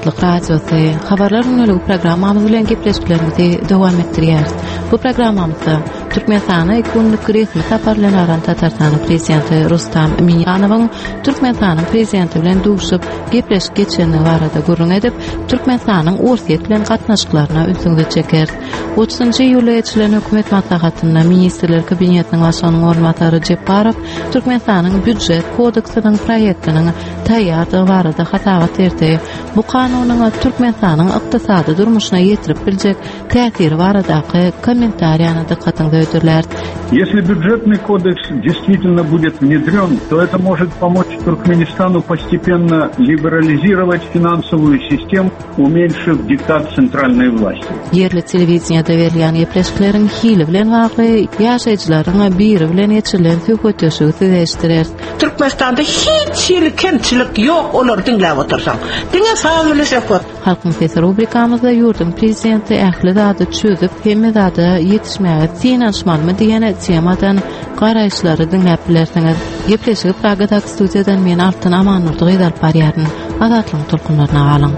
Azatlyk Radiosy, Habarlar gündeligi programmamyz bilen gepleşiklerimizi dowam etdirýäris. Bu programmamyzda Türkmenistana iki günlük resmi sapar bilen baran Tatarstanyň Prezidenti Rustam Minnihanowyň Türkmenistanyň Prezidenti bilen duşup gepleşik geçirenligi barada gürrüň edip, Türkmenistanyň Orsýet bilen gatnaşyklaryna ünsüňizi çekeris. 30-njy iýulda geçirilen hökümet maslahatynda Ministrler Kabinetiniň Başlygynyň orunbasary Jepbarow Türkmenistanyň Býujet kodeksiniň proýektiniň taýýardygy barada hasabat berdi. Bu kanunyň Türkmenistanyň ykdysady durmuşyna ýetirip biljek täsiri baradaky kommentariýany dykgatyňyza hödürläris. Если бюджетный кодекс действительно будет внедрен, то это может помочь Туркменистану постепенно либерализировать финансовую систему, уменьшив диктат центральной власти. Ýerli telewideniýede berilýän gepleşikleriň hili bilen bagly ýaşaýjylaryň biri bilen geçirilen söhbetdeşligi size eşitdireris. Türkmenistanda hiç hili kemçilik ýok olary diňläp otursaň. Diňe saz bile söhbet. Halkyň sesi rubrikamyzda ýurduň prezidenti ähli zady çözüp, hemme zada ýetişmäge synanyşmalymy diýen temadan garaýyşlary diňläp bilersiňiz. Gepleşigi Pragadaky studiýadan men Altyn Amandurdy gyz alyp barýaryn. Azatlygyň tolkunlaryna galyň.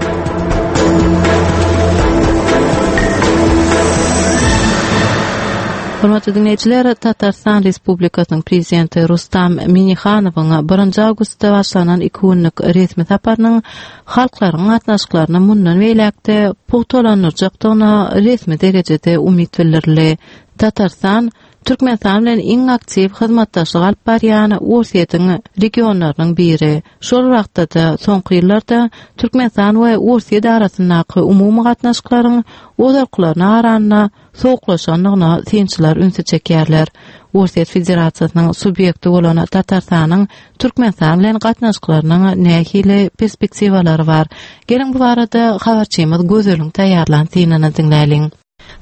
Hormatly diňleýjiler, Tatarystan Respublikasynyň Prezidenti Rustam Minnihanowyň birinji awgustda başlanan iki günlük resmi saparynyň halklaryň gatnaşyklaryny mundan beýläk-de pugtalandyrjakdygyna resmi derejede umyt bildirildi. Tatarystan Türkmenistan bilen iň aktiw hyzmatdaşlyk alyp barýan Orsýetiň regionlarynyň biri. Şol wagtda-da, soňky ýyllarda Türkmenistan we Orsýet arasyndaky umumy gatnaşyklaryň ozalkylaryna garanda sowuklaşandygyna synçylar ünsi çekýärler. Orsýet Federasiýasynyň subýekti bolan Tatarstanyň Türkmenistan bilen gatnaşyklarynyň nähili perspektiwalary bar? Geliň bu barada habarçymyz Gözeliň taýýarlan synyny diňläliň.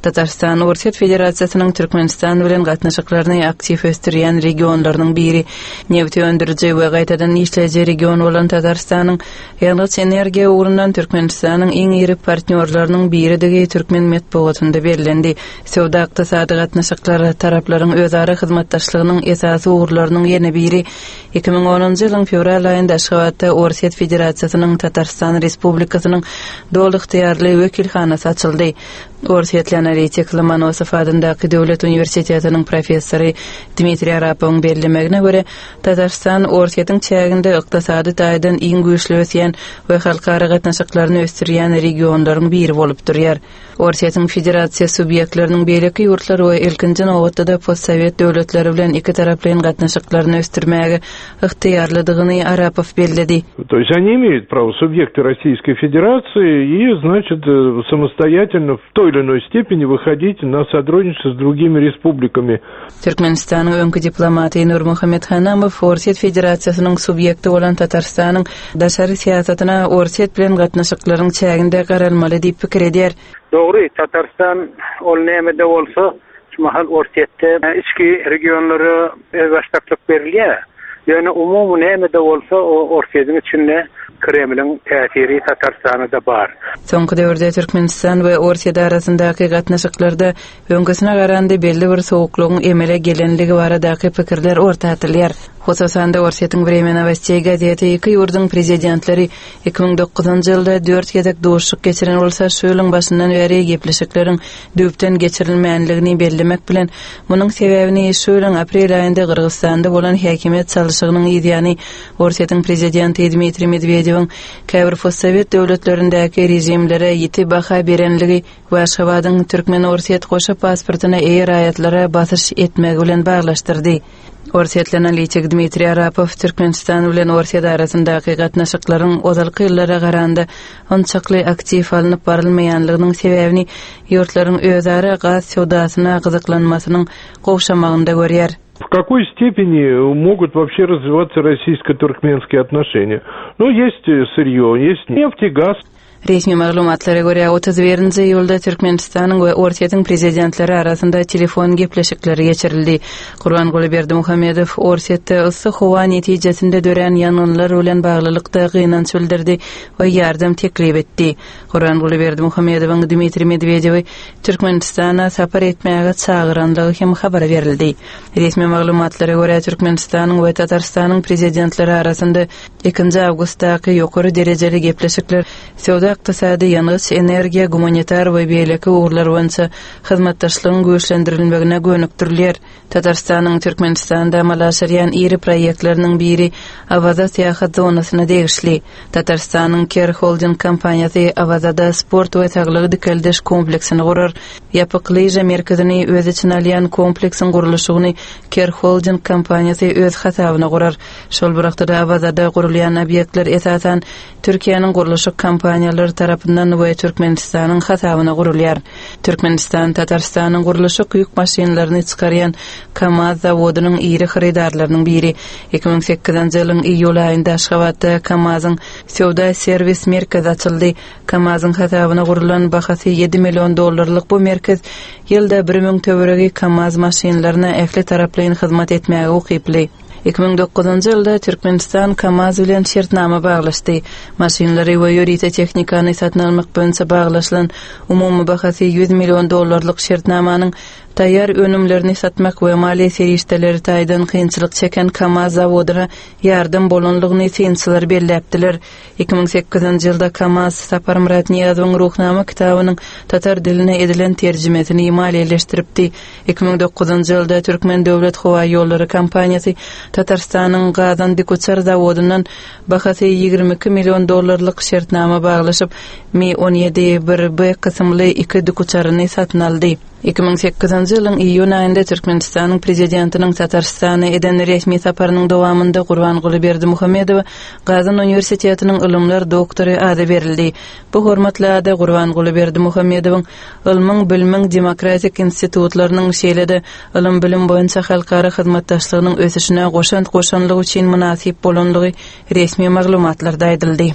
Tatarystan Orsýet Federasiýasynyň Türkmenistan bilen gatnaşyklaryny aktiw ösdürýän regionlarynyň biri. Nebti öndüriji we gaýtadan işleýji region bolan Tatarystanyň ýangyç-energiýa ugrundan Türkmenistanyň iň iri partnýorlarynyň biridigi türkmen metbugatynda bellendi. Söwda-ykdysady gatnaşyklar taraplaryň özara hyzmatdaşlygynyň esasy ugurlarynyň ýene biri. 2010-njy ýylyň fewral aýynda Aşgabatda Orsýet Federasiýasynyň Tatarystan Respublikasynyň doly ygtyýarly wekilhanasy açyldy. Orsýetli analitik Lomonosow adyndaky döwlet uniwersitetiniň professory Dmitriý Arapowyň bellemegine görä, Tatarystan Orsýetiň çäginde ykdysady taýdan iň güýçli ösýän we halkara gatnaşyklaryny ösdürýän regionlaryň biri bolup durýar. Orsýetiň federasiýa subýektleriniň beýleki ýurtlar we ilkinji nobatda-da postsowet döwletleri bilen ikitaraplaýyn gatnaşyklaryny ösdürmäge ygtyýarlydygyny Arapow belledi. То есть они имеют право, субъекты Российской Федерации, и, значит, самостоятельно в той или иной степени выходить на сотрудничество с другими республиками. Türkmenistanyň öňki diplomaty Nurmuhammet Hanamow Orsýet Federasiýasynyň subýekti bolan Tatarystanyň daşary syýasatyna Orsýet bilen gatnaşyklaryň çäginde garalmaly diýip pikir edýär. Dogry, Tatarystan ol näme-de bolsa, şu mahal Orsýetde içki regionlara özbaşdaklyk berilýär. Ýöne umumy näme-de bolsa, o Orsýetiň içinde Kremliň täsiri Tatarystana-da bar. Soňky döwürde Türkmenistan we Orsýet arasyndaky gatnaşyklarda Öňküsine garanda belli bir sowuklygyň emele gelenligi baradaky pikirler orta atylýar. Hususan-da, Orsýetiň Wremýa nowosteý gazeti iki ýurduň prezidentleri 2009-njy ýylda dört gezek duşuşyk geçiren bolsa, şu ýylyň başyndan bäri gepleşikleriň düýpden geçirilmänligini bellemek bilen, munuň sebäbini şu ýylyň aprel aýynda Gyrgyzystanda bolan häkimiýet çalşygynyň yzýany Orsýetiň prezidenti Dmitriý Medwedewiň käbir postsowet döwletlerindäki režimlere ýiti baha berenligi we Aşgabadyň türkmen-orsýet goşa pasportyna eýe raýatlara basyş etmegi bilen baglaşdyrdy. Orsýetli analitik Dmitriý Arapow Türkmenistan bilen Orsýet arasyndaky gatnaşyklaryň ozalky ýyllara garanda onçakly aktiw alnyp barylmaýanlygynyň sebäbini ýurtlaryň özara gaz söwdasyna gyzyklanmasynyň gowşamagynda görýär. В какой степени могут вообще развиваться российско-туркменские отношения? Ну, есть сырье, есть нефть и газ. Resmi maglumatlara görä, 31-nji iýulda Türkmenistanyň we Orsýetiň prezidentleri arasynda telefon gepleşikleri geçirildi. Gurbanguly Berdimuhamedow Orsýetde yssy howa netijesinde dörän ýangynlar bilen baglylykda gynanç bildirdi we ýardam teklip etdi. Gurbanguly Berdimuhamedowyň Dmitriý Medwedewi Türkmenistana sapar etmäge çagyranlygy hem habar berildi. Resmi maglumatlara görä, Türkmenistanyň we Tatarystanyň prezidentleri arasynda Ikinji awgustdaky ýokary derejeli gepleşikler söwda. söwda-ykdysady, ýangyç-energiýa, gumanitar we beýleki ugurlar boýunça hyzmatdaşlygyň güýçlendirilmegine gönükdirilýär. Tatarystanyň Türkmenistanda amala aşyrýan iri proýektleriniň biri Awaza syýahat zonasyna degişli. Tatarystanyň Ker Holding kompaniýasy Awazada sport we saglygy dikeldiş kompleksini gurar. Ýapyk lyža merkezini öz içine alýan kompleksiň gurluşygyny Ker Holding kompaniýasy öz hasabyna gurar. Şol bir wagtda-da Awazada gurulýan obýektler esasan Türkiýäniň gurluşyk kompaniýalary tarapyndan we Türkmenistanyň hasabyna gurulýar. Türkmenistan Tatarystanyň gurluşyk ýük maşynlaryny çykarýan KAMAZ zawodynyň iri hyrydarlarynyň biri. 2008-nji ýylyň iýul aýynda Aşgabatda KAMAZ-yň söwda-serwis merkezi açyldy. KAMAZ-yň hasabyna gurlan bahasy ýedi million dollarlyk bu merkez ýylda 1000 töweregi KAMAZ maşynlaryna ähli taraplaýyn hyzmat etmäge ukyply. 2009-njy ýylda Türkmenistan KAMAZ bilen şertnama baglaşdy. Maşynlary we ýörite tehnikany satyn almak boýunça baglaşylan umumy bahasy 100 million dollarlyk şertnamanyň taýýar önümlerini satmak we maliýe serişdeleri taýdan kynçylyk çeken KAMAZ zawodyna ýardam bolanlygyny synçylar belläpdiler. 2008-nji ýylda KAMAZ Saparmyrat Nyýazowyň Ruhnama kitabynyň tatar diline edilen terjimesini maliýeleşdiripdi. 2009-njy ýylda Türkmen döwlet howa ýollary kompaniýasy Tatarystanyň Gazan dikuçar zawodyndan bahasy 22 million dollarlyk şertnama baglaşyp, Mi 17 1B kysymly iki dikuçaryny satyn aldy. 2008-nji ýylyň iýun aýynda Türkmenistanyň Prezidentiniň Tatarystana eden resmi saparynyň dowamynda Gurbanguly Berdimuhamedowa Gazan uniwersitetiniň ylymlar doktory ady berildi. Bu hormatly ada Gurbanguly Berdimuhamedowyň ylmyň, bilimiň demokratik institutlarynyň, şeýle-de ylym-bilim boýunça halkara hyzmatdaşlygynyň ösüşine goşant goşanlygy üçin mynasyp bolanlygy resmi maglumatlarda aýdyldy.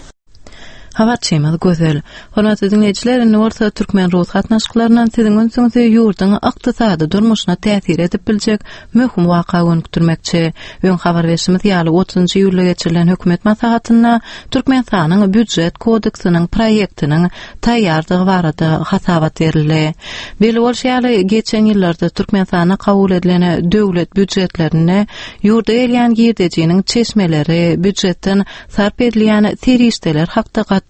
Habarçymyz Gözel. Hormatly diňleýjiler, indi bolsa türkmen-rus gatnaşyklaryndan siziň ünsüňizi ýurduň ykdysady durmuşyna täsir edip biljek möhüm waka gönükdirmekçi. Öň habar berşimiz ýaly, otuzynjy iýulda geçirilen hökümet maslahatynda Türkmenistanyň Býujet kodeksiniň proýektiniň taýýardygy barada hasabat berildi. Belli bolşy ýaly, geçen ýyllarda Türkmenistanda kabul edilen döwlet býujetlerinde ýurda gelýän girdejiniň çeşmeleri, býujetden sarp edilýän serişdeler hakda gaty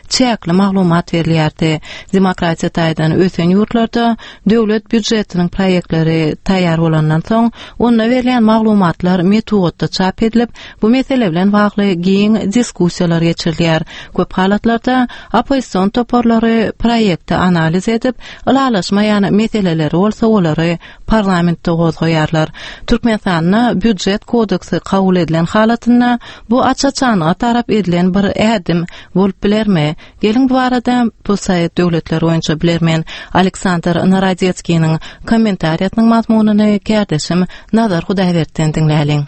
çäkli maglumat berilýärdi. Demokratiýa taýdan ösen ýurtlarda döwlet býujetiniň proýektleri taýýar bolandan soň, onda berilýän maglumatlar metbugatda çap edilip, Bu mesele bilen bagly giň diskussiýalar geçirilýär. Köp halatlarda oppozision toparlary proýekti analiz edip, ylalaşmaýan meseleleri bolsa olary parlamentde gozgaýarlar. Türkmenistanda Býujet kodeksi kabul edilen halatynda bu aç-açanlyga tarap edilen bir ädim bolup bilermi? Geliň bu barada postsovet döwletleri boýunça bilermen Aleksandr Narodetskiniň kommentariýasynyň mazmunyny kärdeşim Nazar Hudaýberdiden diňläliň.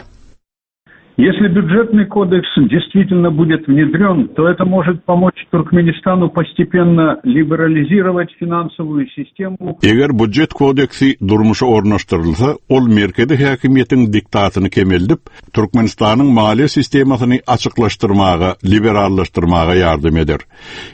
Если бюджетный кодекс действительно будет внедрен, то это может помочь Туркменистану постепенно либерализировать финансовую систему. Eger budjet kodeksi durmuşa ornaşdyrylsa, ol merkezi häkimiýetiň diktatyny kemeldip, Türkmenistanyň maliýe sistemasyny açyklaşdyrmaga, liberallaşdyrmaga ýardam eder.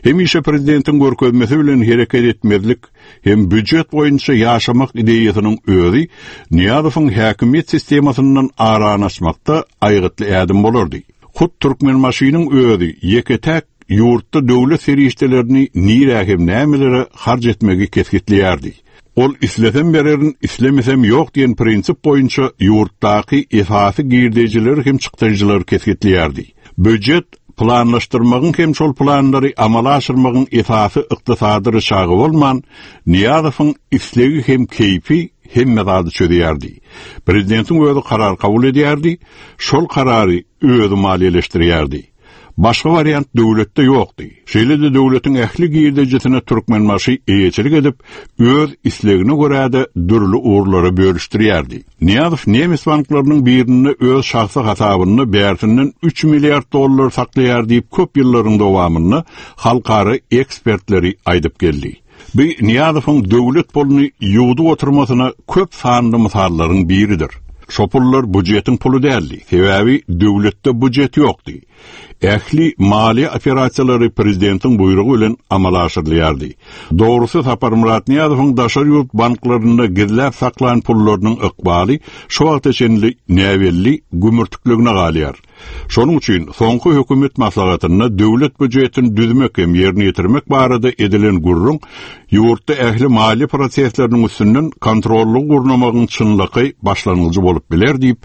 Hemişe prezidentiň görkezmesi bilen hereket etmezlik hem býujet boýunça ýaşamak ideýasynyň özi Nyýazowyň häkimiýet sistemasyndan arany açmakda aýgytly ädim bolardy. Hut Türkmenbaşynyň özi ýeke-täk ýurtda döwlet serişdelerini nirä hem nämelere harç etmegi kesgitleýärdi. Ol islesem bererin, islemesem ýok diýen prinsip boýunça ýurtdaky esasy girdejileri hem çykdajylary kesgitleýärdi. Býujet planlaşdyrmagyň hem şol planlary amala aşyrmagyň esasy ykdysady ryçagy bolman, Nyýazowyň islegi hem keýpi hemme zady çözýärdi. Prezidentiň özi karar kabul edýärdi, şol karary özi maliýeleşdirýärdi. Başga wariant döwletde ýokdy. Şeýle-de döwletiň ähli girdejisine Türkmenbaşy eýeçilik edip, öz islegine görä-de dürli ugurlara bölüşdirýärdi. Nyýazow nemes banklarynyň birinde öz şahsy hasabynda bärsinden üç milliard dollar saklaýar diýip köp ýyllaryň dowamynda halkara ekspertleri aýdyp geldi. Bu Nyýazowyň döwlet puluny ýuwdup oturmasyna köp sanly mysallaryň biridir. Şo pullar bujetiň puly däldi, sebäbi döwletde bujet ýokdy. Ähli maliýe operasiýalary prezidentiň buýrugy bilen amala aşyrylýardy. Dogrusy Saparmyrat Nyýazowyň daşary ýurt banklarynda gizläp saklan pullarynyň ykbaly şu wagta çenli näbelli gümürtikligine galýar. Şonuň üçin soňky hökümet maslahatynda döwlet býujetini düzmek hem ýerine ýetirmek barada edilen gürrüň ýurtda ähli maliýe prosesleriniň üstünden kontrollygy gurnamagyň çynlakaý başlangyjy bolup biler diýip,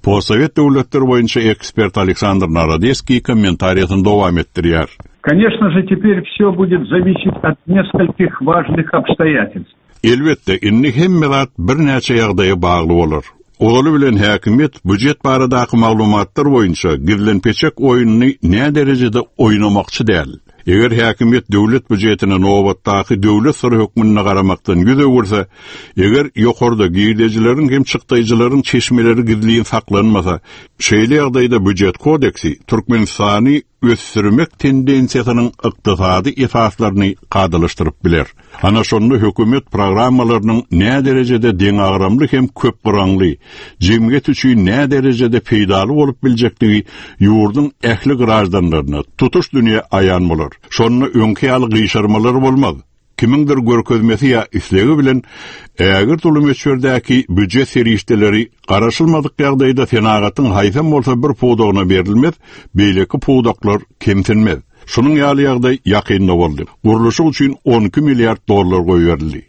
postsowet döwletleri boýunça ekspert Aleksandr Narodeskiý kommentariýasyny dowam etdirýär. Конечно же, теперь все будет зависеть от нескольких важных обстоятельств. Elbetde, indi hemme zat birnäçe ýagdaýa bagly bolar. Ozaly bilen häkimiýet býujet baradaky maglumatlar boýunça gizlenpeçek oýnuny näderejede oýnamakçy däl. Eger häkimiýet döwlet býujetine nobatdaky döwlet syry hökmünde garamakdan ýüz öwürse, eger ýokarda girdejileriň hem çykdaýjylaryň çeşmeleri gizlin saklanmasa, şeýle ýagdaýda býujet kodeksi Türkmenistany ösdürmek tendensiýasynyň ykdysady esaslaryny kadalaşdyryp biler. Ana şonda hökümet programmalarynyň näderejede deňagramly hem köpgyraňly, jemgyýet üçin näderejede peýdaly bolup biljekdigi ýurduň ähli graždanlaryna, tutuş dünýä aýan bolar. Şonda öňki ýaly gyşarmalar bolmaz. Kimiňdir görkezmesi ýa islegi bilen ägirt uly möçberdäki býujet serişdeleri garaşylmadyk ýagdaýda senagatyň haýsam bolsa bir pudagyna berilmez, beýleki pudaklar kemsinmez. Şunuň ýaly ýagdaý ýakynda boldy. Gurluşyk üçin 12 milliard dollar goýberildi.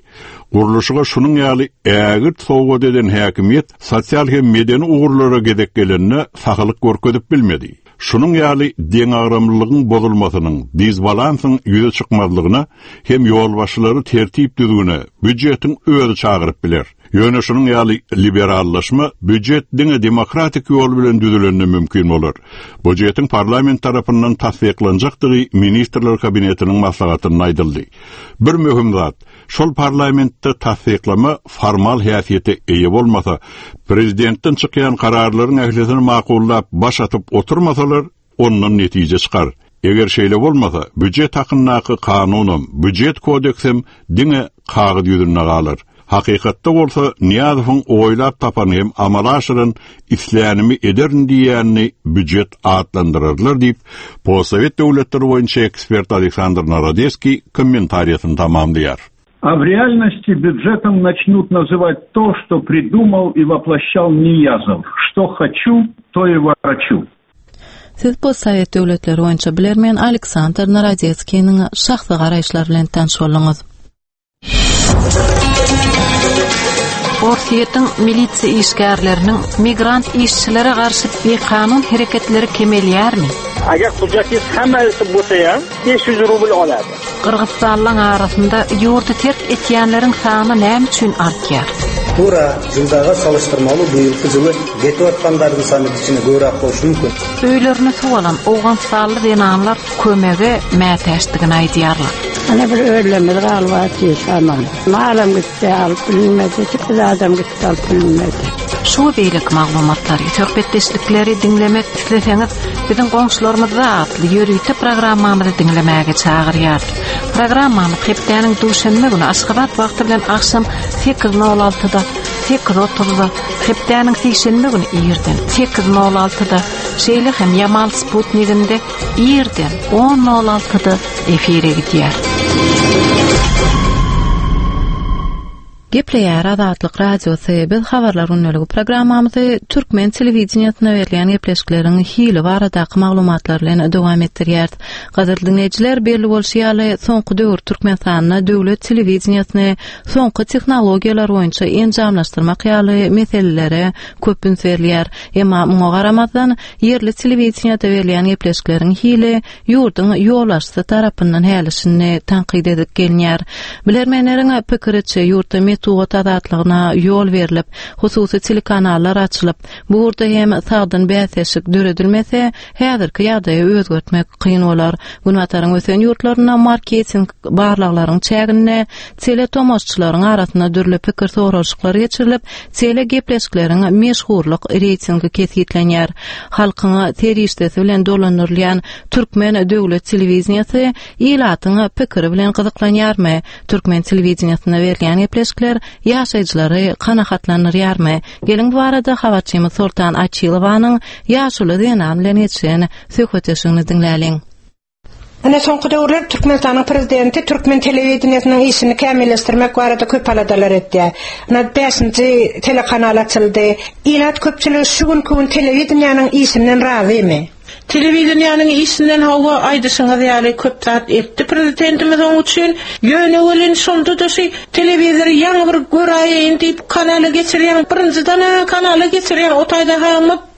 Gurluşyga şunuň ýaly ägirt sowgat eden häkimiýet sosial hem medeni ugurlara gezek gelende sahylyk görkezip bilmedi. Şunuň ýaly deňagramlylygyň bozulmasynyň, disbalansyň ýüze çykmazlygyna hem ýolbaşçylary tertip-düzgüne býujetiň özi çagyryp biler. Ýöne şunuň ýaly liberallaşma býujet diňe demokratik ýol bilen düzülende mümkin bolar. Bujetiň parlament tarapyndan tassyklanjakdygy Ministrler Kabinetiniň maslahatynda aýdyldy. Bir möhüm zat, Şol parlamentde tassyklama formal häsiýete eýe bolmasa, prezidentden çykýan kararlaryň ählisini makullap baş atyp oturmasalar, ondan netije çykar. Eger şeýle bolmasa, býujet hakyndaky kanunam, býujet kodeksem diňe kagyz ýüzünde galar. Hakykatda bolsa Nyýazowyň oýlap tapan hem amala aşyran islänimi ederin diýýänini býujet atlandyrarlar diýip, postsowet döwletleri boýunça ekspert Aleksandr Narodeskiý kommentariýasyny tamamlaýar. А в реальности бюджетом начнут называть то, что придумал и воплощал Ниязов. Что хочу, то и ворочу. Siz postsowet döwletleri boýunça bilermen Aleksandr Narodetskiniň şahsy garaýyşlary bilen tanyş bolduňyz. Orsýetiň milisiýa işgärleriniň migrant işçilere garşy bikanun hereketleri kemelýärmi? Agar hujjatingiz hammasi bo'lsa ham 500 rubl oladi. Gyrgyzystanlyň arasynda ýurdy terk etýänleriň sany näme üçin artýar? Туура жылдагы салыштырмалуу быйылкы жылы кетип аткандардын саны кичине көбүрөөк болушу мүмкүн. Öýlerini suw alan owganystanly zenanlar kömege mätäçdigini aýdýarlar. Ana bir öýlerimiz galyp aman. Malam gitdi alyp bilinmedi, zadam gitdi alyp bilinmedi. Şu we beýleki maglumatlary, söhbetdeşlikleri diňlemek isleseňiz, biziň goňşularymyzda atly ýörite programmamyzy diňlemäge çagyrýarys. Programmamyz hepdäniň duşenbe güni Aşgabat wagty bilen agşam 8:06-da, 8:30-da, hepdäniň sişenbe güni irden 8:06-da, şeýle hem Ýamal sputniginde irden on nol altyda efire gidýär. Gepleýär Azatlyk Radiosy, biz Habarlar gündeligi programmamyzy türkmen telewideniýesinde berilýän gepleşikleriň hili baradaky maglumatlar bilen dowam etdirýäris. Gadyrly diňleýjiler, belli bolşy ýaly, soňky döwür Türkmenistanda döwlet telewideniýesini soňky tehnologiýalar boýunça enjamlaşdyrmak ýaly meselelere köp üns berilýär. Emma muňa garamazdan, Ýerli telewideniýede berilýän gepleşikleriň hili ýurduň ýolbaşçysy tarapyndan häli-şindi tankyt edilip gelinýär. Bilermenleriň pikiriçe, ýurtda metbugat azatlygyna ýol berlip, hususy telekanallar açylyp, bu ugurda hem sagdyn bäsdeşlik döredilmese, häzirki ýagdaýy özgertmek kyn bolar. Günbataryň ösen ýurtlarynda marketing barlaglaryň çäginde teletomaşçylaryň arasynda dürli pikir soralyşyklar geçirilip, Telegepleşikleriň meşhurlyk reýtingi kesgitlenýär. Halkyň serişdesi bilen dolandyrylýan türkmen döwlet telewideniýesi ilatyň pikiri bilen gyzyklanýarmy? Türkmen telewideniýesinde berilýän gepleşikler ýaşaýjylary kanagatlandyrýarmy? Geliň bu barada habarçymyz Soltan Açylowanyň ýaşuly zenan bilen geçiren söhbetdeşligini diňläliň. Ine soňky döwürler Türkmenistanyň prezidenti türkmen telewideniýesiniň işini kämilleşdirmek barada köp aladalar etýär. Ine bäşinji telekanal açyldy. Ilat köpçüligi şu günki gün telewideniýäniň işinden razymy? Telewideniýäniň işinden hawa aýdyşyňyz ýaly köp zat etdi prezidentimiz oň üçin. Ýöne welin şonda-da şu telewizory ýaňy bir göräýeýin diýip kanala geçirýäň birinjiden-ä kanala geçirýäň o taýda-ha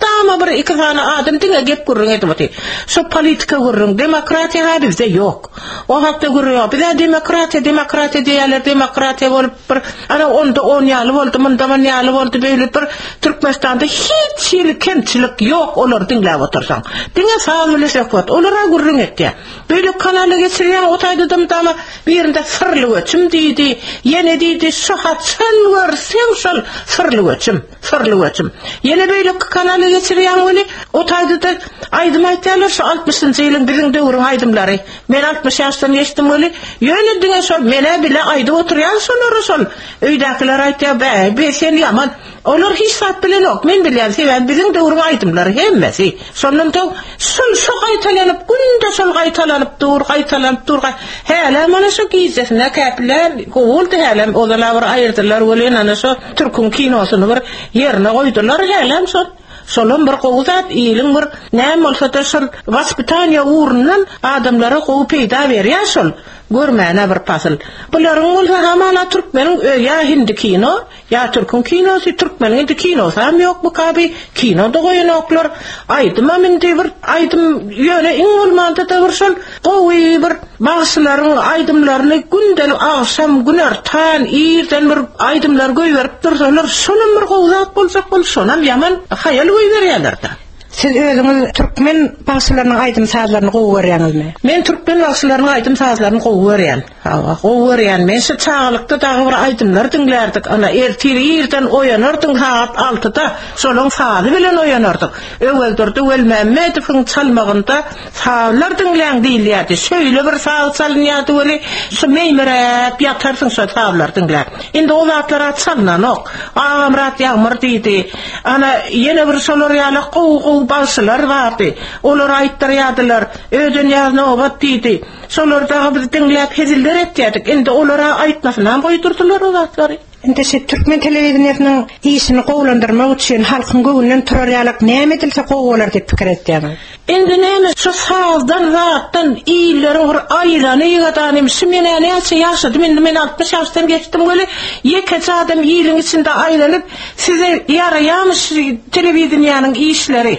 Mydama bir iki sany adam diňe gep gürrüň edip otyr. Şo politika gürrüň, demokratiýa ha bizde ýok. O hakda gürrüň ýok. Bizä demokratiýa, demokratiýa diýýärler, demokratiýa bolup bir ana onda on ýaly boldy, munda mun ýaly boldy, beýle bir Türkmenistanda hiç hili kemçilik ýok olary diňläp otursaň. Diňe saz bile söhbet, olar-a gürrüň etýär. Beýle kanala geçirýäň, o taýda-da mydama birinde syrly göçüm diýdi, ýene diýdi, şu haçan görseň şol syrly göçüm. Syrly göçüm. Ýene beýleki kanala geçirýäň weli, o taýda-da aýdym aýtýarlar şu altmyşynjy ýylyň biziň döwrüň aýdymlary. Men 60 ýaşdan geçdim weli, ýöne diňe şol men-ä bile aýdyp oturýan şolary şol. Öýdäkiler aýtýar, bä, be sen ýaman. Olar hiç zat bilenok, men bilýän, sebäbi biziň döwrüň aýdymlary hemmesi. Şondan soň şol şo gaýtalanyp, günde şol gaýtalanyp dur, gaýtalanyp dur. Hälem ana şo gijesine käpilem gowy boldy hälem ozal-a bir aýyrdylar welin ana şo Türküň kinosyny bir ýerine goýdular hälem şol. Şolam bir gowy zat iliň bir näme bolsada şol waspitaniýa ugrundan adamlara gowy peýda berýär şol görmäne bir pasyl. Bularyň bolsa hamala türkmeniň ö ýa hindi kino Ýa türküň kinosy, türkmeniň indi kinosam ýokmyka bi, kino-da goýanoklar, aýdymam indi bir aýdym ýöne iň bolmanda-da bir şol gowy bir bagşylaryň aýdymlaryny gündelik agşam, günortan, irden bir aýdymlar goýberip dursalar, şolam bir gowy zat boljak bolup, şonam ýaman haýal goýberýärler-dä. Siz özüňiz türkmen bagşylarynyň aýdym-sazlaryny gowy görýäňizmi? Men türkmen bagşylarynyň aýdym-sazlaryny gowy görýän. Hawa, gowy görýän. Men şu çagalykda dagy bir aýdymlar diňlärdik. Ana, ertir irden oýanardyň sagat altyda, şolaň sazy bilen oýanardyk. Öwezdurdy Welmämmedowyň çalmagynda sazlar diňläň diýilýärdi. Şeýle bir saz çalynýardy weli, şu meýmiräp ýatarsyň şo sazlary diňläp. Indi o zatlar-a çalnanok. Agamyrat Ýagmyr diýdi. Ana, ýene bir şolar ýaly gowy-gowy bagşylar bardy. Olar aýtdyrýardylar. Ödenýaz Nobat diýdi. Şolary dagy biz diňläp heziller etýärdik. Indi olar-a aýtmasynam goýdurdylar o zatlary. Indi şu türkmen telewideniýesiniň işini gowulandyrmak üçin halkyň göwnünden turar ýalak näme edilse gowy bolar diýip pikir etýäňiz? Indi näme şu sazdan zatdan illeriň bir aýlany ýygadanym şu menä näçe ýaşadym indi men 60 ýaşdan geçdim weli ýekeje adam iliň içinde aýlanyp size ýaraýamy şu telewideniýäniň işleri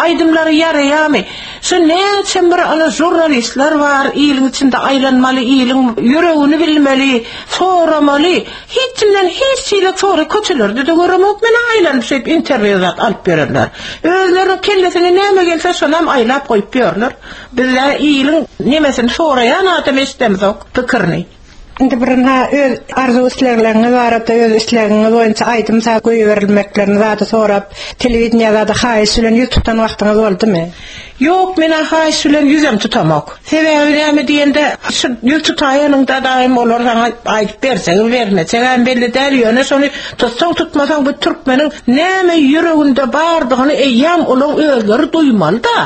aýdymlary ýaraýamy şu näçe bir ana žurnalistler bar iliň içinde aýlanmaly iliň ýüregini bilmeli soramaly Hiç kimden hiç hili sory köçelerde-de göremok men aýlanyp şeýdip interwýu zat alyp ýörenler. Özleriniň kellesine näme gelse şonam aýlap goýup ýörler. Bizä iliň nemesini soraýan adam eşidemzok pikirini. Indi bir ynha öz arzuw islegleriňiz barada öz islegiňiz boýunça aýdym saz goýberilmeklerini zady sorap telewideniýä zada haýyş bilen ýüz tutan wagtyňyz boldumy? Ýok menä haýyş bilen ýüzem tutamok. Sebäbi näme diýende, şu ýüz tutaýanyňda daýym olar saňa aýdyp berjegem bermejegem belli däl, ýöne şony tutsaň tutmasaň bu türkmeniň näme ýüreginde bardygyny eýýäm olaň özleri duýmaly-da.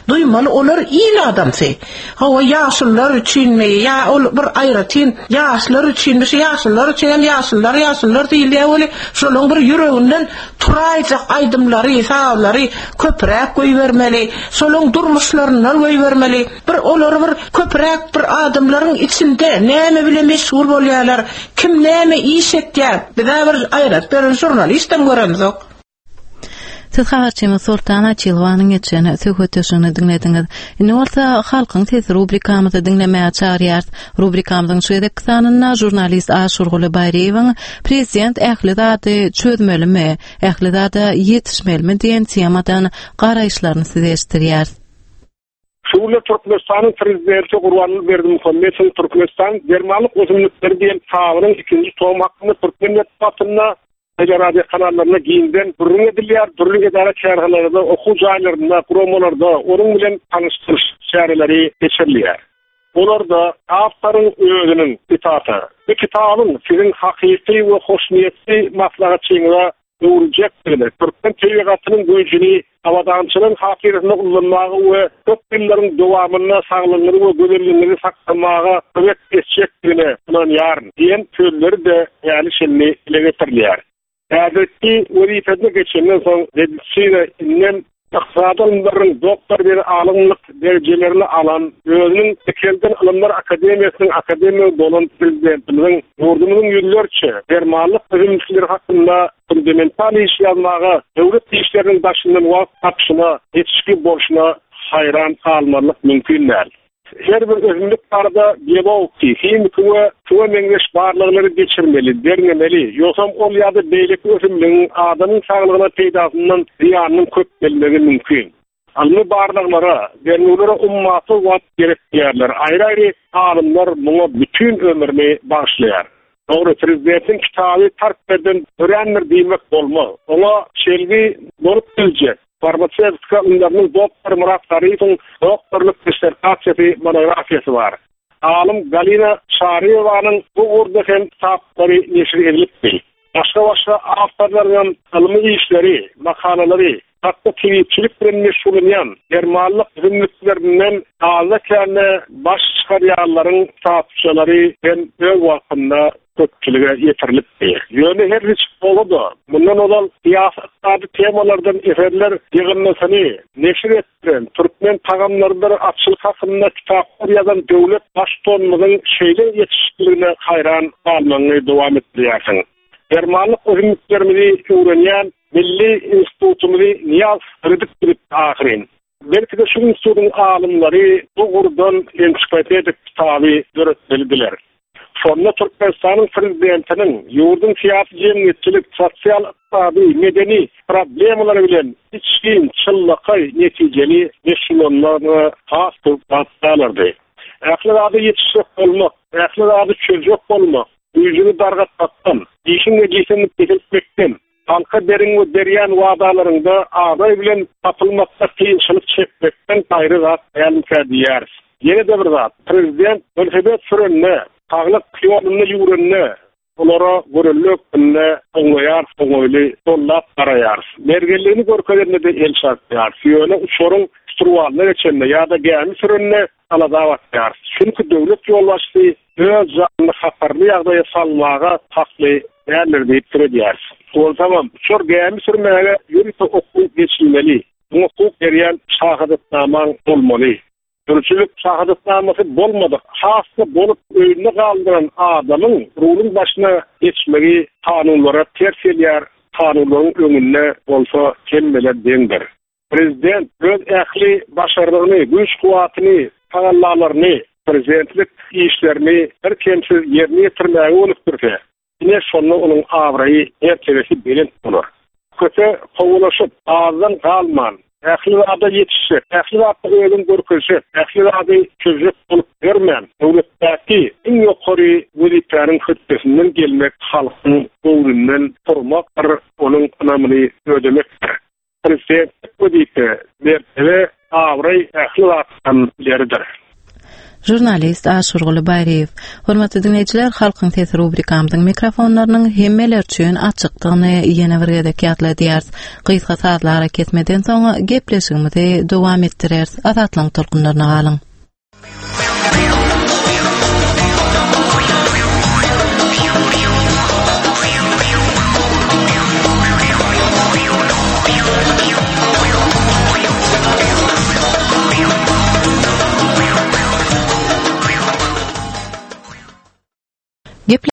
Duýmaly olar il adamsy. Hawa ýaşulular üçinmi ýa ol bir aýratyn ýaşlar üçinmi şu ýaşulular üçin hem ýaşulular ýaşulular diýilýär weli şolaň bir ýüreginden turaýjak aýdymlary, sazlary köpräk goýbermeli, şolaň durmuşlaryndan goýbermeli, bir olary bir köpräk bir adamlaryň içinde näme bilen meşgul bolýarlar, kim näme iş etýär, bizä bir aýrat beren žurnalistem göremzok. Siz habarçymyz Soltan Açylowanyň geçen söhbetdeşligini diňlediňiz. Indi bolsa Halkyň sesi rubrikamyzy diňlemäge çagyrýarys. Rubrikamyzyň şu gezekki sanynda žurnalist Aşyrguly Baýryýewiň Prezident ähli zady çözmelimi, ähli zada ýetişmelimi diýen temadan garaýyşlaryny size eşitdirýäris. Şu günler Türkmenistanyň Prezidenti Gurbanguly Berdimuhamedowyň Türkmenistan dermanlyk ösümlikleri diýen kitabynyň ikinji tomy hakynda türkmen metbugatynda, teleradiokanallarynda giňden gürrüň edilýär, dürli edara-kärhanalarda, okuw jaýlarynda, guramalarda onuň bilen tanyşdyryş çäreleri geçirilýär. Olarda awtoryň özüniň, sitata, Bu kitabyň siziň hakyky we hoşniýetli maslahatçyňyza. öwrüljekdigine, türkmen tebigatynyň güýjüni abadançylygyň hatyrasyna ullanmaga we köp ýyllaryň dowamynda saglygyňyzy we gözelligiňizi saklamaga kömek etjekdigine ynanýaryn diýen sözleri-de häli-şindi dile getirilýär. Häzirki wezipesine geçenden soň medisina indem ykdysady ylymlaryň doktory diýen alymlyk derejelerini alan, özüniň Dikelden Ylymlar akademiýasynyň akademigi bolan Prezidentimiziň ýurdumyzyň ýüzlerçe dermanlyk ösümlikleri hakynda fundamental iş ýazmaga, döwlet işleriniň daşyndan wagt tapyşyna, ýetişikli bolşuna haýran galmazlyk mümkin däl. Her bir ösümlik barada biologiki, himiki we şuňa meňzeş barlaglary geçirmeli, derňemeli, ýogsam ol ýa-da beýleki ösümligiň adamyň saglygyna peýdasyndan zyýanynyň köp gelmegi mümkin. Ylmy barlaglara, derňewlere ummasyz wagt gerek diýýärler. Aýry-aýry alymlar muňa bütin ömrüni bagyşlaýar. Dogry, prezidentiň kitaby tarp ýerden dörändir diýmek bolmaz. Oňa çelgi bolup biljek, farmasewtika ylymlarynyň doktory Myrat Garyýewiň doktorlyk dissertasiýasy, monografiýasy bar. Alym Galina Çaryýewanyň bu ugurda hem kitaplary neşir edilipdi. Başga-başga awtorlaryňam ylmy işleri, makalalary, hatda tebipçilik bilen meşgullanýan, dermanlyk ösümliklerinden azda-kände baş çykarýanlaryň kitapçalary hem öz wagtynda köpçülige ýetirilipdi. Ýöne her niçik bolsa-da, mundan ozal syýasy-ykdysady temalardan eserler ýygyndysyny neşir etdiren, türkmen tagamlarydyr atçylyk hakynda kitaplar ýazan döwlet Baştutanymyzyň şeýle ýetişikligine haýran galmagyňy dowam etdirýärsiň. Dermanlyk ösümliklerimizi öwrenýän milli institutymyzy Nyýazow döredip bilipdi ahyryn. Belki-de şu institutyň alymlary bu ugurdan ensiklopedik kitaby döretmelidiler. Şonda Türkmenistanyň Prezidentiniň ýurduň syýasy-jemgyýetçilik, sosial-ykdysady, medeni problemalary bilen içgin, çynlakaý, netijeli meşgullanmagyna has köp wagt galardy. Ähli zada ýetişjek bolmak, ähli zady çözjek bolmak, güýjüňi dargatmakdan, işiň netijesini peseltmekden, Halka beriň we berýän wadalaryňda abraý bilen tapylmakda kynçylyk çekmekden gaýry zat dälmikä diýýäris. Ýene-de bir zat, prezident welosiped sürende, saglyk ýolunda ýüwrende, olara görelde hökmünde oňlaýarys, oňaýly gollap garaýarys. Mergenligini görkezende-de el çarpýarys. Ýöne uçaryň şturwalyna geçende ýa-da gämi sürende alada batýarys. Çünki döwlet ýolbaşçysy öz janyny hatarly ýagdaýa salmaga hakly däldir diýip pikir edýäris. Onsoňam, uçar gämi sürmäge ýörite okuw geçilmeli, muňa hukuk berýän şahadatnamaň bolmaly. Sürüjilik şahadatnamasy bolmadyk, hassa bolup öýünde galdyran adamyň ruluň başyna geçmegi kanunlara ters gelýär, kanunlaryň öňünde bolsa hemmeler deňdir. Prezident öz ähli başarnygyny, güýç-kuwwatyny, tagallalaryny prezidentlik işlerini birkemsiz ýerine ýetirmäge gönükdirse, ine şonda onuň abraýy, mertebesi belent bolar. Köpe kowalaşyp, azdan galman, ähli zada ýetişjek, ähli zatda özüňi görkezjek, ähli zady çözjek bolup ýörmän, döwletdäki iň ýokary wezipäniň hötdesinden gelmek halkyň göwnünden turmakdyr, onuň ynamyny ödemekdir. Prezidentlik wezipe, mertebe, abraý ähli zatdan ileridir. Žurnalist Aşyrguly Baýryýew. Hormatly diňleýjiler, Halkyň sesi rubrikamyzyň mikrofonlarynyň hemmeler üçin açykdygyny ýene bir gezek ýatladýarys. Gysga sazly arakesmeden soň gepleşigimizi dowam etdireris. Azatlygyň tolkunlaryna galyň.